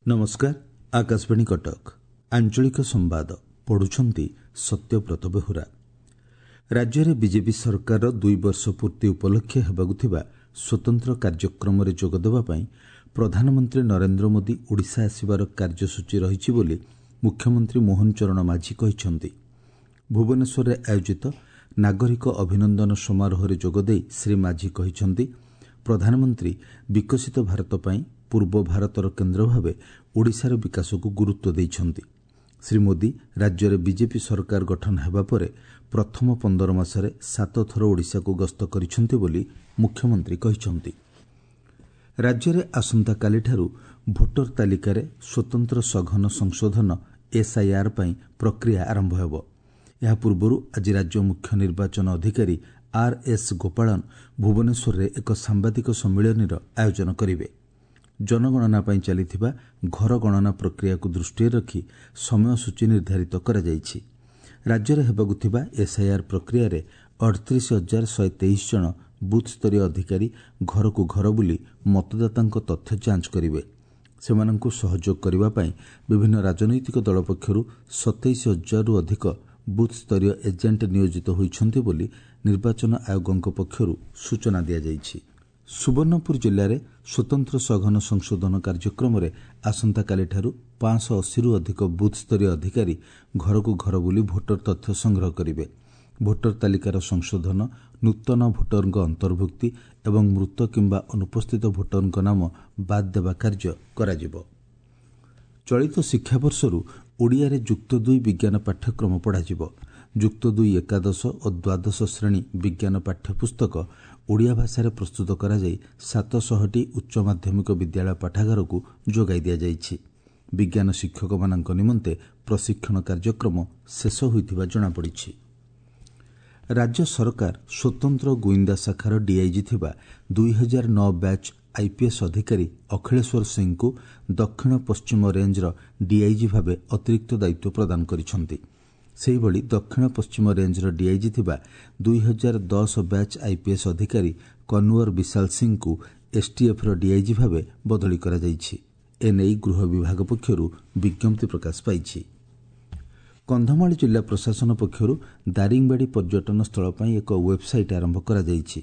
ନମସ୍କାର, ଆକାଶବାଣୀ କଟକ, ଆଞ୍ଚଳିକ ସମ୍ବାଦ ପଢୁଛନ୍ତି ସତ୍ୟବ୍ରତ ବେହୁରା। ରାଜ୍ୟରେ ବିଜେପି ସରକାରର 2 ବର୍ଷ ପୂର୍ତ୍ତି ଉପଲକ୍ଷେ ହେବାକୁ ଥିବା ସ୍ୱତନ୍ତ୍ର କାର୍ଯ୍ୟକ୍ରମରେ ଯୋଗଦେବା ପାଇଁ ପ୍ରଧାନମନ୍ତ୍ରୀ ନରେନ୍ଦ୍ର ମୋଦି ଓଡ଼ିଶା ଆସିବାର କାର୍ଯ୍ୟସୂଚୀ ରହିଛି ବୋଲି ମୁଖ୍ୟମନ୍ତ୍ରୀ ମୋହନ ଚରଣ ମାଝୀ କହିଛନ୍ତି। ଭୁବନେଶ୍ୱରରେ ଆୟୋଜିତ ନାଗରିକ ଅଭିନନ୍ଦନ ସମାରୋହରେ ଯୋଗଦେଇ ଶ୍ରୀ ମାଝୀ କହିଛନ୍ତି, ପ୍ରଧାନମନ୍ତ୍ରୀ ବିକଶିତ ଭାରତ ପାଇଁ ପୂର୍ବ ଭାରତର କେନ୍ଦ୍ର ଭାବେ ଓଡ଼ିଶାର ବିକାଶକୁ ଗୁରୁତ୍ୱ ଦେଇଛନ୍ତି। ଶ୍ରୀ ମୋଦି ରାଜ୍ୟରେ ବିଜେପି ସରକାର ଗଠନ ହେବା ପରେ ପ୍ରଥମ 15 ମାସରେ 7 ଥର ଓଡ଼ିଶାକୁ ଗସ୍ତ କରିଛନ୍ତି ବୋଲି ମୁଖ୍ୟମନ୍ତ୍ରୀ କହିଛନ୍ତି। ରାଜ୍ୟରେ ଆସନ୍ତାକାଲିଠାରୁ ଭୋଟର ତାଲିକାରେ ସ୍ୱତନ୍ତ୍ର ସଘନ ସଂଶୋଧନ ଏସ୍ଆଇଆର୍ ପାଇଁ ପ୍ରକ୍ରିୟା ଆରମ୍ଭ ହେବ। ଏହା ପୂର୍ବରୁ ଆଜି ରାଜ୍ୟ ମୁଖ୍ୟ ନିର୍ବାଚନ ଅଧିକାରୀ ଆର୍ ଏସ୍ ଗୋପାଳନ ଭୁବନେଶ୍ୱରରେ ଏକ ସାମ୍ବାଦିକ ସମ୍ମିଳନୀର ଆୟୋଜନ କରିବେ। ଜନଗଣନା ପାଇଁ ଚାଲିଥିବା ଘର ଗଣନା ପ୍ରକ୍ରିୟାକୁ ଦୃଷ୍ଟିରେ ରଖି ସମୟସୂଚୀ ନିର୍ଦ୍ଧାରିତ କରାଯାଇଛି। ରାଜ୍ୟରେ ହେବାକୁ ଥିବା ଏସ୍ଆଇଆର୍ ପ୍ରକ୍ରିୟାରେ 38,123 ଜଣ ବୁଥ୍ସ୍ତରୀୟ ଅଧିକାରୀ ଘରକୁ ଘର ବୁଲି ମତଦାତାଙ୍କ ତଥ୍ୟ ଯାଞ୍ଚ କରିବେ। ସେମାନଙ୍କୁ ସହଯୋଗ କରିବା ପାଇଁ ବିଭିନ୍ନ ରାଜନୈତିକ ଦଳ ପକ୍ଷରୁ 27,000ରୁ ଅଧିକ ବୁଥ୍ସ୍ତରୀୟ ଏଜେଣ୍ଟ ନିୟୋଜିତ ହୋଇଛନ୍ତି ବୋଲି ନିର୍ବାଚନ ଆୟୋଗଙ୍କ ପକ୍ଷରୁ ସୂଚନା ଦିଆଯାଇଛି। ସୁବର୍ଣ୍ଣପୁର ଜିଲ୍ଲାରେ ସ୍ୱତନ୍ତ୍ର ସଘନ ସଂଶୋଧନ କାର୍ଯ୍ୟକ୍ରମରେ ଆସନ୍ତାକାଲିଠାରୁ 580ରୁ ଅଧିକ ବୁଥ୍ସ୍ତରୀୟ ଅଧିକାରୀ ଘରକୁ ଘର ବୁଲି ଭୋଟର ତଥ୍ୟ ସଂଗ୍ରହ କରିବେ। ଭୋଟର ତାଲିକାର ସଂଶୋଧନ, ନୂତନ ଭୋଟରଙ୍କ ଅନ୍ତର୍ଭୁକ୍ତି ଏବଂ ମୃତ କିମ୍ବା ଅନୁପସ୍ଥିତ ଭୋଟରଙ୍କ ନାମ ବାଦ୍ ଦେବା କାର୍ଯ୍ୟ କରାଯିବ। ଚଳିତ ଶିକ୍ଷାବର୍ଷରୁ ଓଡ଼ିଆରେ ଯୁକ୍ତ 2 ବିଜ୍ଞାନ ପାଠ୍ୟକ୍ରମ ପଢ଼ାଯିବ। ଯୁକ୍ତ 2 ଏକାଦଶ ଓ ଦ୍ୱାଦଶ ଶ୍ରେଣୀ ବିଜ୍ଞାନ ପାଠ୍ୟପୁସ୍ତକ ଓଡ଼ିଆ ଭାଷାରେ ପ୍ରସ୍ତୁତ କରାଯାଇ 700ଟି ଉଚ୍ଚ ମାଧ୍ୟମିକ ବିଦ୍ୟାଳୟ ପାଠାଗାରକୁ ଯୋଗାଇ ଦିଆଯାଇଛି। ବିଜ୍ଞାନ ଶିକ୍ଷକମାନଙ୍କ ନିମନ୍ତେ ପ୍ରଶିକ୍ଷଣ କାର୍ଯ୍ୟକ୍ରମ ଶେଷ ହୋଇଥିବା ଜଣାପଡ଼ିଛି। ରାଜ୍ୟ ସରକାର ସ୍ୱତନ୍ତ୍ର ଗୁଇନ୍ଦା ଶାଖାର ଡିଆଇଜି ଥିବା 2009 ବ୍ୟାଚ୍ ଆଇପିଏସ୍ ଅଧିକାରୀ ଅଖିଳେଶ୍ୱର ସିଂଙ୍କୁ ଦକ୍ଷିଣ ପଶ୍ଚିମ ରେଞ୍ଜର ଡିଆଇଜି ଭାବେ ଅତିରିକ୍ତ ଦାୟିତ୍ୱ ପ୍ରଦାନ କରିଛନ୍ତି। ସେହିଭଳି ଦକ୍ଷିଣ ପଶ୍ଚିମ ରେଞ୍ଜର ଡିଆଇଜି ଥିବା 2010 ବ୍ୟାଚ୍ ଆଇପିଏସ୍ ଅଧିକାରୀ କନୱର ବିଶାଲ ସିଂଙ୍କୁ ଏସ୍ଟିଏଫ୍ର ଡିଆଇଜି ଭାବେ ବଦଳି କରାଯାଇଛି। ଏନେଇ ଗୃହ ବିଭାଗ ପକ୍ଷରୁ ବିଜ୍ଞପ୍ତି ପ୍ରକାଶ ପାଇଛି। କନ୍ଧମାଳ ଜିଲ୍ଲା ପ୍ରଶାସନ ପକ୍ଷରୁ ଦାରିଙ୍ଗବାଡ଼ି ପର୍ଯ୍ୟଟନ ସ୍ଥଳ ପାଇଁ ଏକ ୱେବ୍ସାଇଟ୍ ଆରମ୍ଭ କରାଯାଇଛି।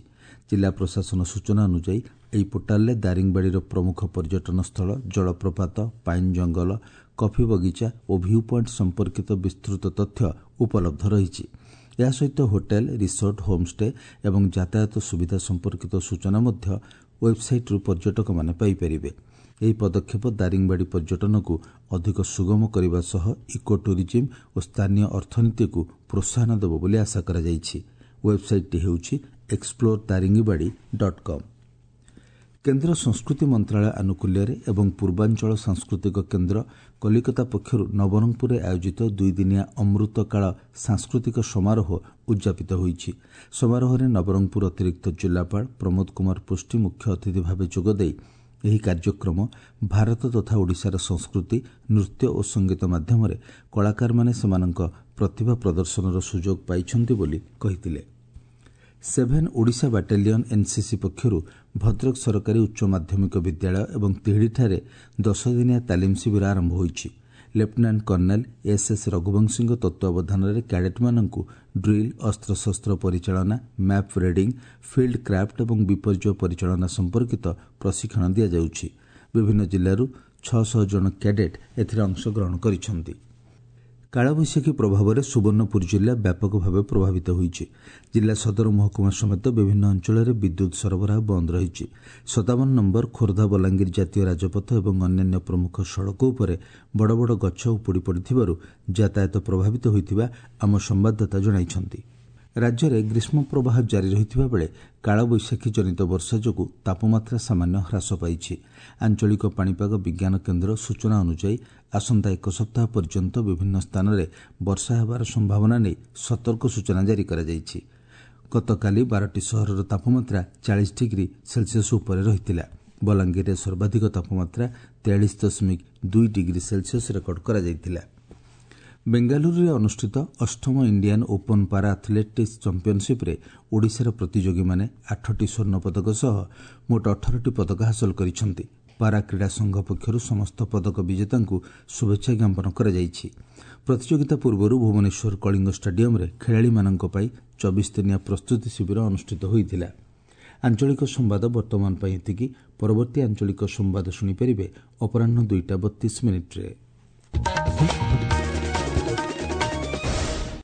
ଜିଲ୍ଲା ପ୍ରଶାସନ ସୂଚନା ଅନୁଯାୟୀ ଏହି ପୋର୍ଟାଲରେ ଦାରିଙ୍ଗବାଡ଼ିର ପ୍ରମୁଖ ପର୍ଯ୍ୟଟନ ସ୍ଥଳ, ଜଳପ୍ରପାତ, ପାଇନ୍ ଜଙ୍ଗଲ, କଫି ବଗିଚା ଓ ଭ୍ୟୁ ପଏଣ୍ଟ ସମ୍ପର୍କିତ ବିସ୍ତୃତ ତଥ୍ୟ ଉପଲବ୍ଧ ରହିଛି। ଏହା ସହିତ ହୋଟେଲ, ରିସୋର୍ଟ, ହୋମ୍ଷ୍ଟେ ଏବଂ ଯାତାୟାତ ସୁବିଧା ସମ୍ପର୍କିତ ସୂଚନା ମଧ୍ୟ ୱେବ୍ସାଇଟ୍ରୁ ପର୍ଯ୍ୟଟକମାନେ ପାଇପାରିବେ। ଏହି ପଦକ୍ଷେପ ଦାରିଙ୍ଗବାଡ଼ି ପର୍ଯ୍ୟଟନକୁ ଅଧିକ ସୁଗମ କରିବା ସହ ଇକୋ ଟୁରିଜିମ୍ ଓ ସ୍ଥାନୀୟ ଅର୍ଥନୀତିକୁ ପ୍ରୋତ୍ସାହନ ଦେବ ବୋଲି ଆଶା କରାଯାଇଛି। ୱେବ୍ସାଇଟ୍ଟି ହେଉଛି ଏକ୍ସପ୍ଲୋର ଦାରିଙ୍ଗବାଡ଼ି ଡଟ୍ କମ୍। କେନ୍ଦ୍ର ସଂସ୍କୃତି ମନ୍ତ୍ରଣାଳୟ ଆନୁକୂଲ୍ୟରେ ଏବଂ ପୂର୍ବାଞ୍ଚଳ ସାଂସ୍କୃତିକ କେନ୍ଦ୍ର କଲିକତା ପକ୍ଷରୁ ନବରଙ୍ଗପୁରରେ ଆୟୋଜିତ 2 ଦିନିଆ ଅମୃତକାଳ ସାଂସ୍କୃତିକ ସମାରୋହ ଉଦ୍ଯାପିତ ହୋଇଛି। ସମାରୋହରେ ନବରଙ୍ଗପୁର ଅତିରିକ୍ତ ଜିଲ୍ଲାପାଳ ପ୍ରମୋଦ କୁମାର ପୃଷ୍ଟି ମୁଖ୍ୟ ଅତିଥି ଭାବେ ଯୋଗଦେଇ ଏହି କାର୍ଯ୍ୟକ୍ରମ ଭାରତ ତଥା ଓଡ଼ିଶାର ସଂସ୍କୃତି, ନୃତ୍ୟ ଓ ସଙ୍ଗୀତ ମାଧ୍ୟମରେ କଳାକାରମାନେ ସେମାନଙ୍କ ପ୍ରତିଭା ପ୍ରଦର୍ଶନର ସୁଯୋଗ ପାଇଛନ୍ତି ବୋଲି କହିଥିଲେ। 7 ଓଡ଼ିଶା ବାଟାଲିୟନ୍ ଏନ୍ସିସି ପକ୍ଷରୁ ଭଦ୍ରକ ସରକାରୀ ଉଚ୍ଚ ମାଧ୍ୟମିକ ବିଦ୍ୟାଳୟ ଏବଂ ତିହିଡ଼ିଠାରେ 10 ଦିନିଆ ତାଲିମ ଶିବିର ଆରମ୍ଭ ହୋଇଛି। ଲେଫ୍ଟନାଣ୍ଟ କର୍ଣ୍ଣେଲ ଏସ୍ ଏସ୍ ରଘୁବଂଶୀଙ୍କ ତତ୍ତ୍ୱାବଧାନରେ କ୍ୟାଡେଟ୍ମାନଙ୍କୁ ଡ୍ରିଲ୍, ଅସ୍ତ୍ରଶସ୍ତ୍ର ପରିଚାଳନା, ମ୍ୟାପ୍ ରିଡିଂ, ଫିଲ୍ଡ କ୍ରାଫ୍ଟ ଏବଂ ବିପର୍ଯ୍ୟୟ ପରିଚାଳନା ସମ୍ପର୍କିତ ପ୍ରଶିକ୍ଷଣ ଦିଆଯାଉଛି। ବିଭିନ୍ନ ଜିଲ୍ଲାରୁ 600 ଜଣ କ୍ୟାଡେଟ୍ ଏଥିରେ ଅଂଶଗ୍ରହଣ କରିଛନ୍ତି। କାଳବୈଶାଖୀ ପ୍ରଭାବରେ ସୁବର୍ଣ୍ଣପୁର ଜିଲ୍ଲା ବ୍ୟାପକ ଭାବେ ପ୍ରଭାବିତ ହୋଇଛି। ଜିଲ୍ଲା ସଦର ମହକୁମା ସମେତ ବିଭିନ୍ନ ଅଞ୍ଚଳରେ ବିଦ୍ୟୁତ୍ ସରବରାହ ବନ୍ଦ ରହିଛି। 57 ନମ୍ବର ଖୋର୍ଦ୍ଧା ବଲାଙ୍ଗୀର ଜାତୀୟ ରାଜପଥ ଏବଂ ଅନ୍ୟାନ୍ୟ ପ୍ରମୁଖ ସଡ଼କ ଉପରେ ବଡ଼ ବଡ଼ ଗଛ ଉପୁଡ଼ି ପଡ଼ିଥିବାରୁ ଯାତାୟାତ ପ୍ରଭାବିତ ହୋଇଥିବା ଆମ ସମ୍ବାଦଦାତା ଜଣାଇଛନ୍ତି। ରାଜ୍ୟରେ ଗ୍ରୀଷ୍ମ ପ୍ରବାହ ଜାରି ରହିଥିବା ବେଳେ କାଳବୈଶାଖୀ ଜନିତ ବର୍ଷା ଯୋଗୁଁ ତାପମାତ୍ରା ସାମାନ୍ୟ ହ୍ରାସ ପାଇଛି। ଆଞ୍ଚଳିକ ପାଣିପାଗ ବିଜ୍ଞାନ କେନ୍ଦ୍ର ସୂଚନା ଅନୁଯାୟୀ ଆସନ୍ତା 1 ସପ୍ତାହ ପର୍ଯ୍ୟନ୍ତ ବିଭିନ୍ନ ସ୍ଥାନରେ ବର୍ଷା ହେବାର ସମ୍ଭାବନା ନେଇ ସତର୍କ ସୂଚନା ଜାରି କରାଯାଇଛି। ଗତକାଲି 12ଟି ସହରର ତାପମାତ୍ରା 40 ଡିଗ୍ରୀ ସେଲସିୟସ୍ ଉପରେ ରହିଥିଲା। ବଲାଙ୍ଗୀରରେ ସର୍ବାଧିକ ତାପମାତ୍ରା 43.2 ଡିଗ୍ରୀ ସେଲସିୟସ୍ ରେକର୍ଡ କରାଯାଇଥିଲା। ବେଙ୍ଗାଲୁରୁରେ ଅନୁଷ୍ଠିତ 8ମ ଇଣ୍ଡିଆନ୍ ଓପନ୍ ପାରା ଆଥଲେଟିକ୍ସ ଚାମ୍ପିୟନସିପ୍ରେ ଓଡ଼ିଶାର ପ୍ରତିଯୋଗୀମାନେ 8ଟି ସ୍ୱର୍ଣ୍ଣ ପଦକ ସହ ମୋଟ 18ଟି ପଦକ ହାସଲ କରିଛନ୍ତି। ପାରା କ୍ରୀଡ଼ା ସଂଘ ପକ୍ଷରୁ ସମସ୍ତ ପଦକ ବିଜେତାଙ୍କୁ ଶୁଭେଚ୍ଛା ଜ୍ଞାପନ କରାଯାଇଛି। ପ୍ରତିଯୋଗିତା ପୂର୍ବରୁ ଭୁବନେଶ୍ୱର କଳିଙ୍ଗ ଷ୍ଟାଡିୟମ୍ରେ ଖେଳାଳିମାନଙ୍କ ପାଇଁ 24 ଦିନିଆ ପ୍ରସ୍ତୁତି ଶିବିର ଅନୁଷ୍ଠିତ ହୋଇଥିଲା। ଆଞ୍ଚଳିକ ସମ୍ବାଦ ବର୍ତ୍ତମାନ ପାଇଁ ଏତିକି। ପରବର୍ତ୍ତୀ ଆଞ୍ଚଳିକ ସମ୍ବାଦ ଶୁଣିପାରିବେ ଅପରାହ୍ନ 2ଟା 32 ମିନିଟ୍ରେ।